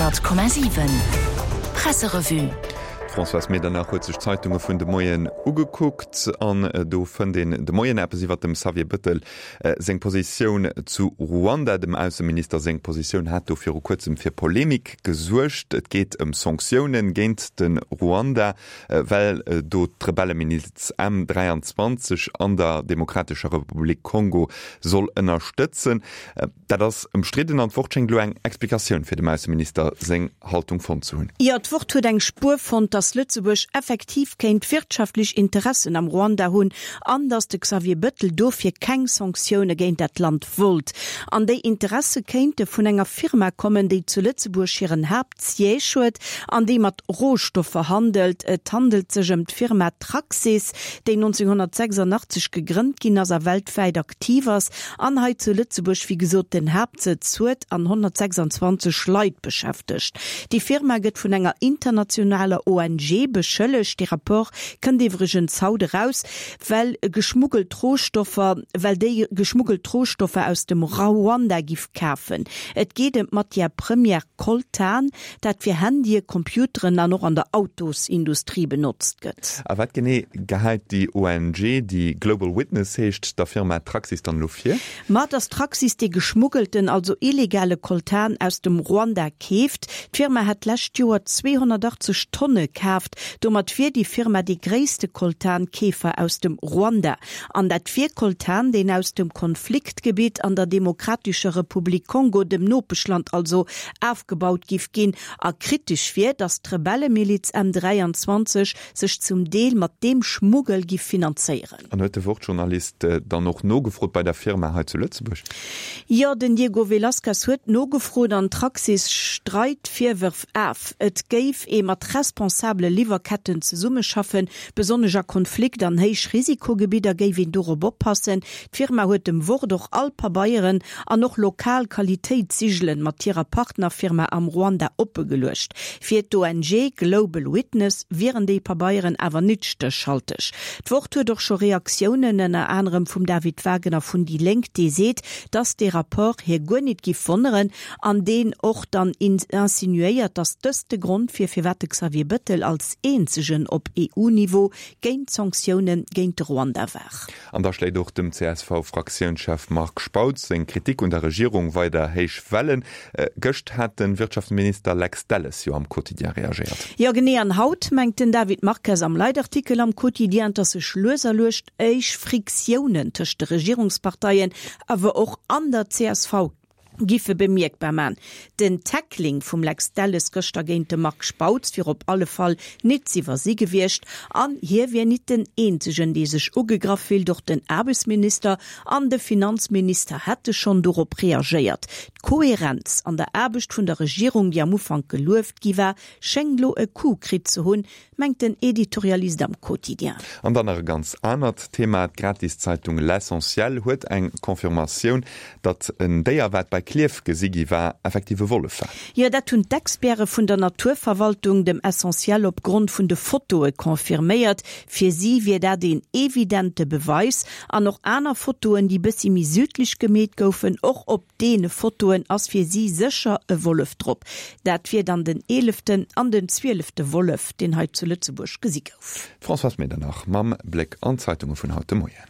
100,7 Presserevue. D'Françoise Medernach huet sech d'Zeitunge vun de Moien ugekuckt an do fënnt een de Moien eppes iwwer dem Xavier Bëttel seng Positioun zu Ruanda. Dem Ausseminister seng Positioun hat do viru kuerzem fir Polemik gesuergt. Et geet ëm Sanktioune géint de Ruanda, well do d'Rebellemiliz M23 an der Demokratescher Republik Kongo soll ënnerstëtzen. Dat ass ëmstridden an d'Wort schéngt elo eng Explikatioun fir dem Ausseminister seng Haltung fonnt ze hunn. Jo, d'Wort huet eng Spuer fonnt, datt Lëtzebuerg effektiv kéint wirtschaftlech Interessen am Ruanda hunn an datt de Xavier Bëttel dofir keng Sanktioune géint dat Land wollt. An déi Interesse kéinte vun enger Firma kommen, déi zu Lëtzebuerg hiren Haaptsiège huet an déi mat Rohstoffer handelt. Et handelt sech ëm d'Firma Traxys, déi 1986 gegrënnt ginn ass a weltwäit aktiv ass an hei zu Lëtzebuerg wéi gesot den Haaptsëtz huet an 126 Leit beschäftegt. Déi Firma gëtt vun enger internationaler ONG beschëllegt, dee Rapport kënnt iwwregens haut eraus, well geschmuggelt Rohstoffer, well déi geschmuggelt Rohstoffer aus dem Ruanda giff kafen. Et geet ëm d'Matière première Coltan, dat fir Handye, Computeren an och an der Autosindustrie benotzt gëtt. A wat genee gehäit déi ONG, déi Global Witness heescht, der Firma Traxys dann elo vir? Ma dass Traxys dee geschmuggelten, also illegale Coltan aus dem Ruanda keeft. D'Firma hätt d'lescht Joer 280 Tonne kaaft. Domat wier déi Firma dee gréisste Coltan-Keefer aus dem Ruanda. An dat wier Coltan, deen aus dem Konfliktgebitt an der Demokratescher Republik Kongo, dem Nopeschland also, afgebaut giff ginn a kritesch wier, datt d'Rebellemiliz M23 sech zum Deel mat deem Schmuggel giff finanzéieren. An huet de Wort-Journalist dann och nogefrot bei der Firma hei zu Lëtzebuerg? Jo, den Diego Velazquez huet nogefrot an d'Traxys streit d'Virwërf af. Et géif ee mat responsabele Liwwerketten zesummeschaffen, besonnesch a Konflikt an Héichrisikogebidder géif een dorop oppassen. D'Firma huet dem Wort och all Pabeieren an och lokal Qualitéitssigelen mat hirer Partnerfirma am Ruanda oppegeluecht. Fir d'ONG Global Witness wieren déi Pabeieren awer nit stéchhalteg. D'Wort huet och scho Reaktiounen, ënner anerem vum David Wagner vun déi Lénk, dee seet, dass dee Rapport hie guer nit giff wonneren an deen och dann insinuéiert, dass dëst de Grond wier, firwat de Xavier Bëttel als eenzegen op EU-Niveau géint d'Sanktioune géint de Ruanda war. An da schléit och dem CSV-Fraktiounschef Marc Spautz seng Kritik un der Regierung weider héich Wellen. Gëscht hat de Wirtschaftsminister Lex Delles jo am Quotidien reagéiert. Jo genee, an haut mengt den David Marques am Leitartikel am Quotidien, dass sech lues a lues éisch Friktiounen tëscht de Regierungsparteien, awer och an der csv giffe bemierkbar man. Den Tackling vum Lex Delles gëschter géint de Marc Spautz wier op alle Fall nit z'iwwersi gewiescht an hie wier nit den eenzegen, dee sech ugegraff fillt. Och den Aarbechtsminister an de Finanzminister hätte schonn dorop reagéiert. D'Kohärenz an der Aarbecht vun der Regierung, déi am Ufank gelueft gi war, schéngt lo e Coup kritt ze hunn, mengt den Editorialist am Quotidien. An dann nach e ganz anert Thema, D'Gratiszeitung L'Essentiel huet eng Confirmatioun, datt en Déier, wat bei Klierf gesi gi war, effektiv e Wollef war. Jo, dat hunn d'Experte vun der Naturverwaltung dem Essentiel op Grond vun de Fotoe confirméiert. Fir si wier dat een evidente Beweis. An och aner Fotoen, déi bëssi méi südlech gemeet goufen, och op Deene Fotoen ass fir si sécher e Wollef drop. Dat wier dann den eeleften an den zwielefte Wollef, deen hei zu Lëtzebuerg gesi gouf. D'Françoise Medernach mam Bléck an d'Zeitunge vun haut de Moien.